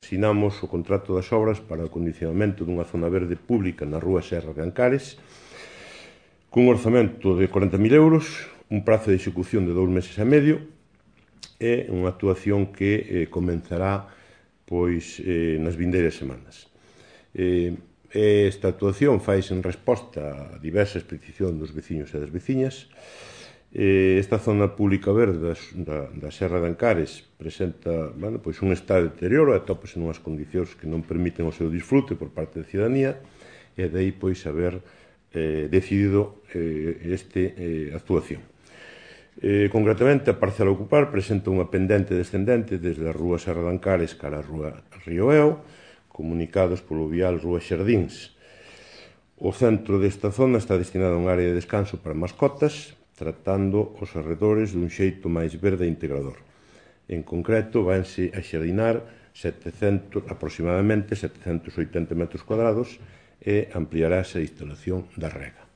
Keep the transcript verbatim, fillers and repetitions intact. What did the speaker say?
sinamos o contrato das obras para o acondicionamento dunha zona verde pública na rúa Serra de Ancares, cun orzamento de corenta mil euros, un prazo de execución de dous meses e medio, e unha actuación que eh, comenzará pois, eh, nas vindeiras semanas. Eh, esta actuación faise en resposta a diversas peticións dos veciños e das veciñas. Esta zona pública verde da, da Serra de Ancares presenta bueno, pois un estado de deterioro e atópase nunhas condicións que non permiten o seu disfrute por parte da cidadanía, e de aí pois haber eh, decidido eh, esta eh, actuación. Eh, concretamente, a parcela a ocupar presenta unha pendente descendente desde a rúa Serra de Ancares cara a rúa Río Eo, comunicados polo vial Rúa Xardíns. O centro desta zona está destinado a unha área de descanso para mascotas, tratando os arredores dun xeito máis verde e integrador. En concreto, vanse a xardinar setecentos, aproximadamente setecentos oitenta metros cuadrados e ampliarase a instalación da rega.